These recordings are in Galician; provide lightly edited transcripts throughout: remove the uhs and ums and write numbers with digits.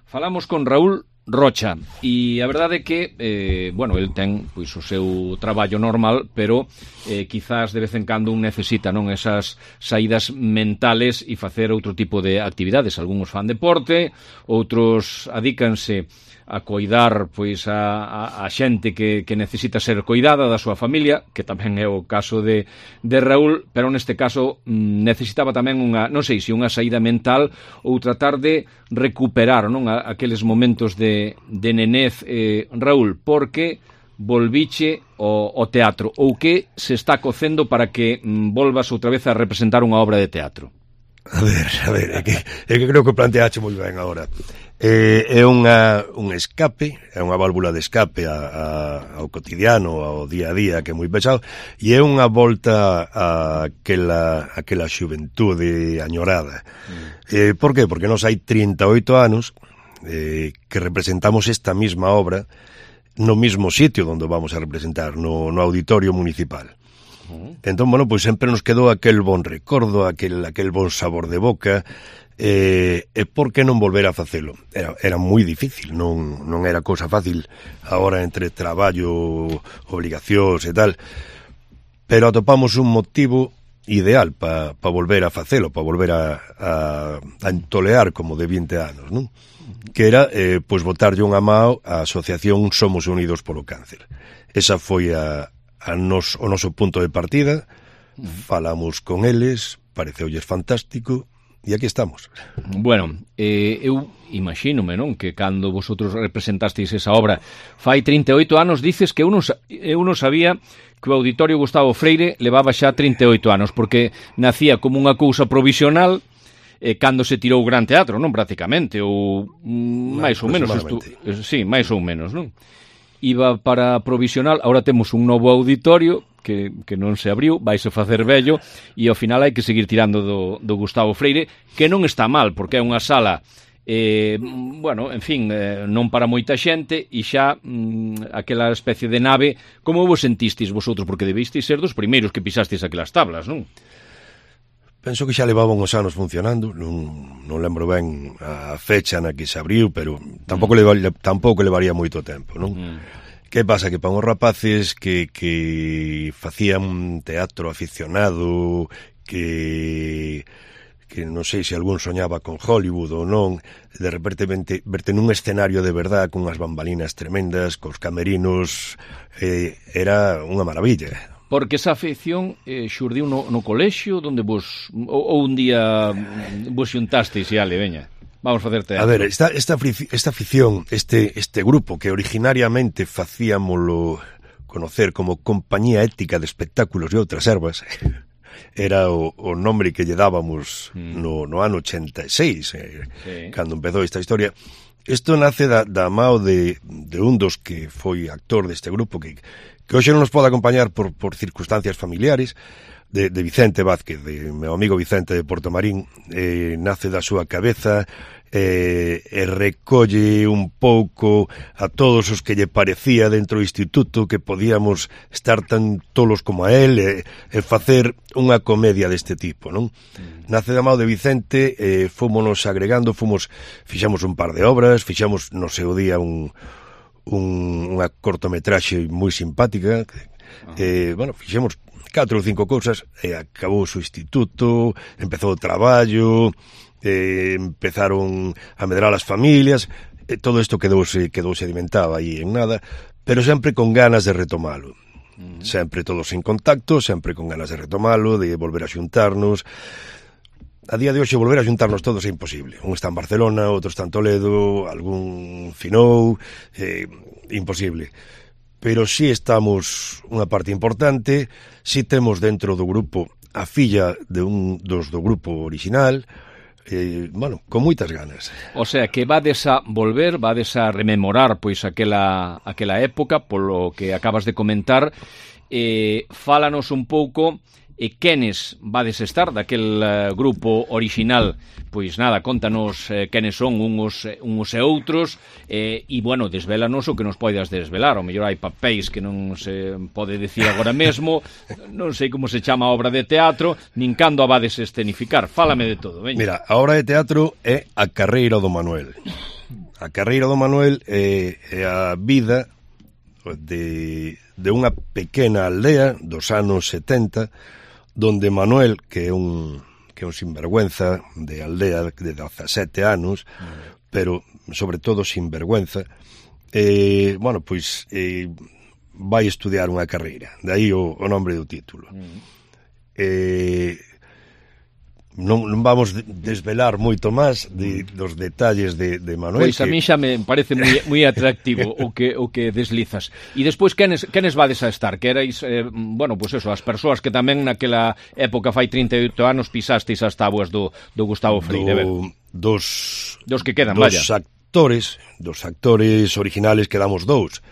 Falamos con Raúl Rocha e a verdade é que, bueno, el ten pois o seu traballo normal, pero quizás de vez en cando un necesita, non, esas saídas mentales e facer outro tipo de actividades. Algúns fan deporte, outros adícanse a coidar pois a xente que necesita ser coidada da súa familia, que tamén é o caso de Raúl, pero neste caso necesitaba tamén unha, non sei se unha saída mental ou tratar de recuperar, non, aqueles momentos de nenez, Raúl, porque volviche ao teatro, ou que se está cocendo para que volvas outra vez a representar unha obra de teatro? A ver, é que creo que planteache moi ben agora. É un escape, é unha válvula de escape ao cotidiano, ao día a día, que é moi pesado, e é unha volta a aquela xuventude añorada. Por qué? Porque nos hai 38 anos que representamos esta mesma obra no mesmo sitio onde vamos a representar, no auditorio municipal. Entón, bueno, pois sempre nos quedou aquel bon recordo, aquel bon sabor de boca, e por que non volver a facelo? Era moi difícil, non era cousa fácil agora entre traballo, obligacións e tal, pero atopamos un motivo ideal para volver a facelo, para volver a entolear como de 20 anos, non? Que era, pois, botarlle unha mao á asociación Somos Unidos polo Cáncer. Esa foi o noso punto de partida, falamos con eles, pareceulles fantástico, e aquí estamos. Bueno, eu imagínome, non, que cando vosotros representasteis esa obra fai 38 anos, dices que eu non sabía que o Auditorio Gustavo Freire levaba xa 38 anos, porque nacía como unha cousa provisional cando se tirou o Gran Teatro, non, prácticamente, ou máis ou menos, sí, máis ou menos, non? Iba para provisional, ahora temos un novo auditorio que non se abriu, vaise facer vello, e ao final hai que seguir tirando do Gustavo Freire, que non está mal, porque é unha sala, bueno, en fin, non para moita xente, e xa aquela especie de nave. Como vos sentistes vosotros? Porque debisteis ser dos primeiros que pisastes aquelas tablas, non? Penso que xa levaban uns anos funcionando, non lembro ben a fecha na que se abriu, pero tampouco levaría moito tempo, non? Que pasa? Que para uns rapaces que facían teatro aficionado, que non sei se algún soñaba con Hollywood ou non, de repente verte nun escenario de verdad, con unhas bambalinas tremendas, cos camerinos, era unha maravilla. Porque esa afección xurdiu no colexio, donde vos, ou un día vos xuntasteis e ale, veña, vamos facer teatro. A ver, esta afición, este grupo que originariamente facíamolo conocer como Compañía Ética de Espectáculos e Outras Ervas, era o nombre que lle dábamos no ano 86, cando empezou esta historia. Isto nace da mao de un dos que foi actor deste grupo, que hoxe non nos pode acompañar por circunstancias familiares, de Vicente Vázquez, de meu amigo Vicente de Portomarín. Nace da súa cabeza e recolle un pouco a todos os que lle parecía dentro do instituto que podíamos estar tan tolos como a él e facer unha comedia deste tipo, non? Nace da mao de Vicente, fomos agregando, fixamos un par de obras, fixamos no seu día unha cortometraxe moi simpática, bueno, fixemos 4 ou 5 cousas, e acabou o instituto, empezou o traballo, empezaron a medrar as familias, todo isto quedou sedimentado aí en nada, pero sempre con ganas de retomalo. Sempre todos en contacto, sempre con ganas de retomalo, de volver a xuntarnos. A día de hoxe volver a xuntarnos todos é imposible. Un está en Barcelona, outro está en Toledo, algún finou, imposible. Pero si estamos unha parte importante, si temos dentro do grupo a filla de un dos do grupo original, bueno, con moitas ganas. O sea, que vades a volver, vades a rememorar pois aquela época, polo que acabas de comentar. Fálanos un pouco quenes vades estar daquel grupo original. Pois nada, contanos quenes son uns e outros, e, bueno, desvélanos o que nos poidas desvelar. O mellor hai papéis que non se pode decir agora mesmo, non sei como se chama a obra de teatro, nin cando a vades escenificar. Fálame de todo, veña. Mira, a obra de teatro é A Carreira do Manuel. A carreira do Manuel é a vida de unha pequena aldea dos anos 70, donde Manuel, que é un sinvergüenza de aldea de 17 anos, pero sobre todo sinvergüenza, bueno, pois vai estudiar unha carreira, de aí o nombre do título. Non vamos desvelar moito máis dos detalles de Manuel. Pois a mí xa me parece moi atractivo o que deslizas. E despois, quenes vades a estar? Que erais, bueno, pois eso, as persoas que tamén naquela época, fai 38 anos, pisasteis as tábuas do Gustavo Freire. Dos que quedan, vaya. Dos actores originales quedamos dous.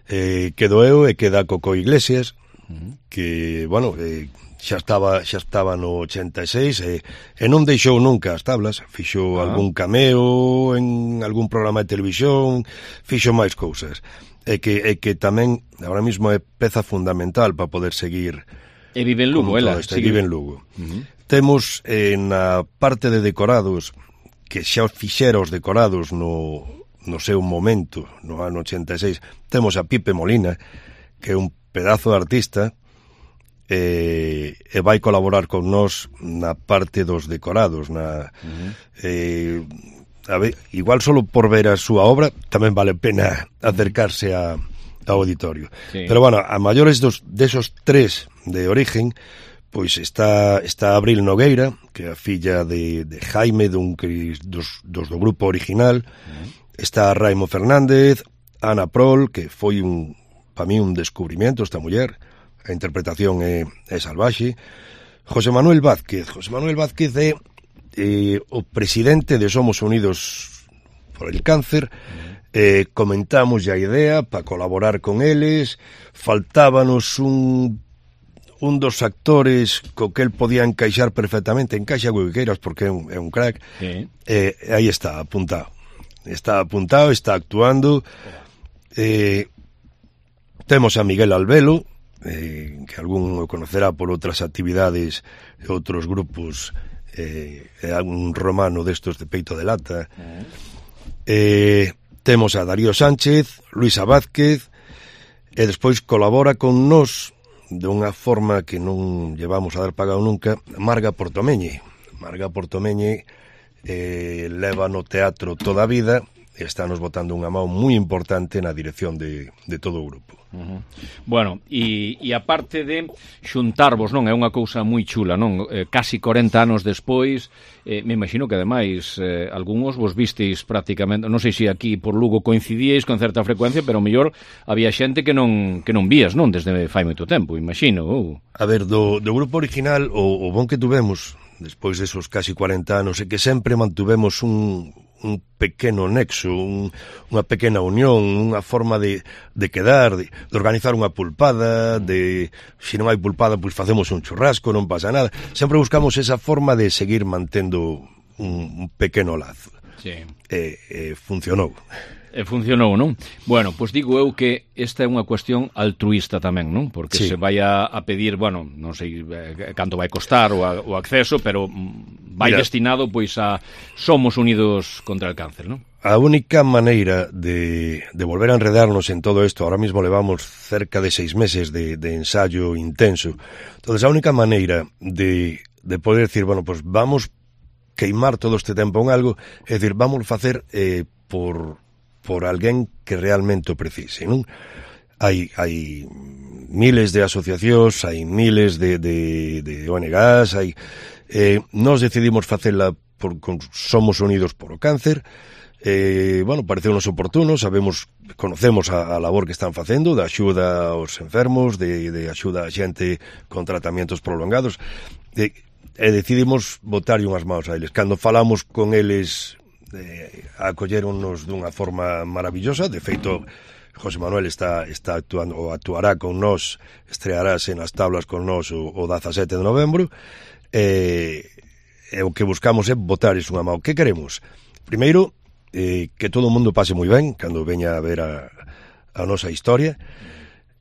Quedo eu e queda Coco Iglesias, que, bueno, xa estaba no 86 e non deixou nunca as tablas, fixo algún cameo en algún programa de televisión, fixo máis cousas, e que tamén agora mismo é peza fundamental para poder seguir. E vive en Lugo, ela. Vive en Lugo. Temos na parte de decorados, que xa fixera os decorados no seu momento, no ano 86, temos a Pipe Molina, que é un pedazo de artista, e vai colaborar con nós na parte dos decorados, a ver, igual solo por ver a súa obra tamén vale pena acercarse ao auditorio. Pero bueno, a maiores desos tres de origen, pois está Abril Nogueira, que é a filla de Jaime, dos do grupo original. Está Raimo Fernández, Ana Prol, que foi para mí un descubrimiento esta muller. A interpretación é salvaxe. José Manuel Vázquez é o presidente de Somos Unidos por el Cáncer. Comentamos a idea para colaborar con eles. Faltábanos un dos actores co que el podía encaixar perfectamente. Encaixa co que queiras porque é un crack. Aí está apuntado, está actuando. Temos a Miguel Albelo, que algún o conocerá por outras actividades e outros grupos, un romano destos de peito de lata. Temos a Darío Sánchez, Luisa Vázquez, e despois colabora con nós dunha forma que non llevamos a dar pagado nunca, Marga Portomeñe. Leva no teatro toda a vida e está nos botando unha mão moi importante na dirección de todo o grupo. Bueno, e aparte de xuntarvos, non? É unha cousa moi chula, non? Casi 40 anos despois, me imagino que ademais algúns vos visteis prácticamente, non sei se aquí por Lugo coincidíais con certa frecuencia, pero mellor había xente que non vías, non? Desde fai moito tempo, imagino. A ver, do grupo original, o bon que tuvemos despois desos casi 40 anos é que sempre mantuvemos un pequeno nexo, unha pequena unión, unha forma de quedar, de organizar unha pulpada, se non hai pulpada, pois facemos un churrasco, non pasa nada. Sempre buscamos esa forma de seguir mantendo un pequeno lazo. Funcionou. Funcionou, non? Bueno, pois digo eu que esta é unha cuestión altruísta tamén, non? Porque se vai a pedir, bueno, non sei canto vai costar o acceso, pero vai destinado pois a Somos Unidos contra el Cáncer, non? A única maneira de volver a enredarnos en todo isto, ahora mismo levamos cerca de 6 meses de ensayo intenso, entonces a única maneira de poder decir, bueno, pues vamos queimar todo este tempo en algo, é dicir, vamos facer por alguén que realmente o precise, non? Hai miles de asociacións, hai miles de ONGs, nós decidimos facela con Somos Unidos por o Cáncer. Bueno, pareceunos oportuno, conocemos a labor que están facendo de axuda aos enfermos, de axuda a xente con tratamentos prolongados, e decidimos botarlle unhas maus a eles. Cando falamos con eles, acolleronnos dunha forma maravillosa. De feito, José Manuel está actuando, ou actuará con nós, estrearase nas tablas con nós o 17 de novembro, e o que buscamos é botarles unha mão. Que queremos? Primeiro, que todo o mundo pase moi ben cando veña a ver a nosa historia,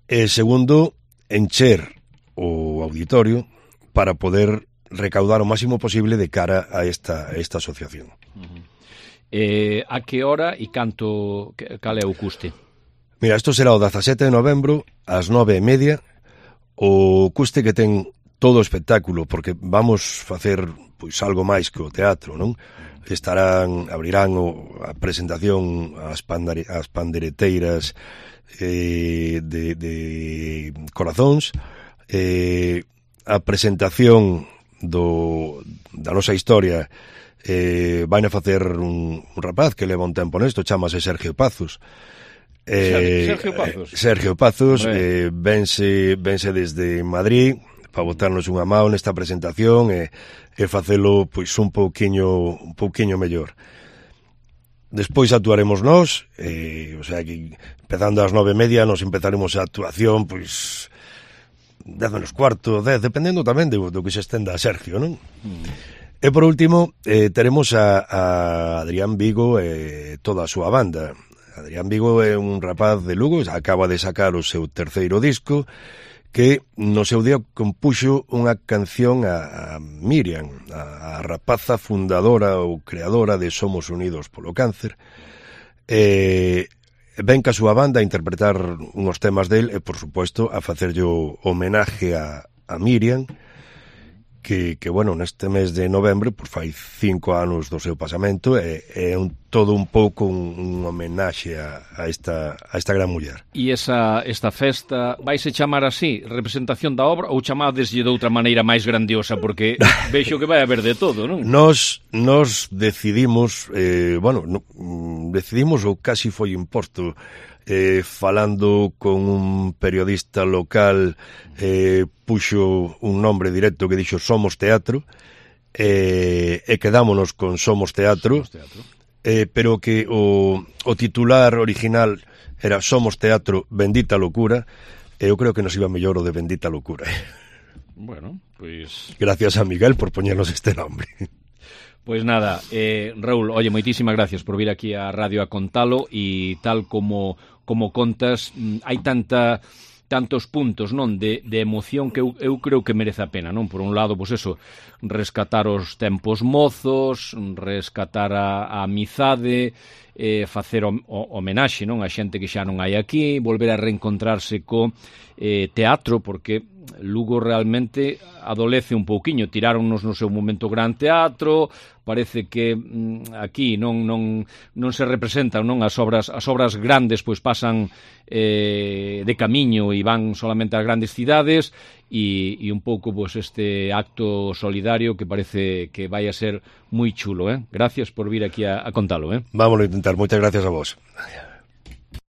e segundo, encher o auditorio para poder recaudar o máximo posible de cara a esta asociación. A que hora e cal é o custe? Mira, isto será o 17 de novembro ás 9:30. O custe que ten todo o espectáculo, porque vamos facer pois algo máis que o teatro, non? Abrirán a presentación as pandereteiras de Corazóns, a presentación da nosa historia vai a facer un rapaz que leva un tempo nesto, chamase Sergio Pazos. Sergio Pazos vense desde Madrid para botarnos unha mão nesta presentación e facelo pois un pouquiño mellor. Despois actuaremos nós, o sea que empezando ás 9:30 nos empezaremos a actuación pois 10:15, 10, dependendo tamén do que se estenda a Sergio, non? E por último teremos a Adrián Vigo e toda a súa banda. Adrián Vigo é un rapaz de Lugo, acaba de sacar o seu terceiro disco, que no seu día compuxo unha canción a Miriam, a rapaza fundadora ou creadora de Somos Unidos polo Cáncer. Ven ca súa banda a interpretar unhos temas del e, por suposto, a facerlle homenaje a Miriam, que bueno, neste mes de novembro pues, fai 5 anos do seu pasamento e é todo un pouco un homenaxe a esta gran muller. E esta festa vaise chamar así, representación da obra, ou chamadeslle de outra maneira máis grandiosa, porque vexo que vai haber de todo, non? Nos decidimos, decidimos ou casi foi imposto, falando con un periodista local, puxo un nombre directo que dixo Somos Teatro, e quedámonos con Somos Teatro, pero que o titular original era Somos Teatro, Bendita Locura, e eu creo que nos iba mellor o de Bendita Locura. Bueno, pois... Gracias a Miguel por poñernos este nombre. Pois nada, Raúl, oye, moitísimas gracias por vir aquí á radio a contalo, e tal como contas, hai tantos puntos, non, de emoción que eu creo que merece a pena, non? Por un lado, pois eso, rescatar os tempos mozos, rescatar a amizade, facer homenaxe, non, a xente que xa non hai aquí, volver a reencontrarse co teatro, porque Lugo realmente adolece un pouquiño, tiráronnos no seu momento gran teatro, parece que aquí non se representan, non, as obras grandes pois pasan de camiño e van solamente ás grandes cidades, e un pouco pois este acto solidario que parece que vai a ser moi chulo, Gracias por vir aquí a contalo, Vámonos a intentar, moitas gracias a vos.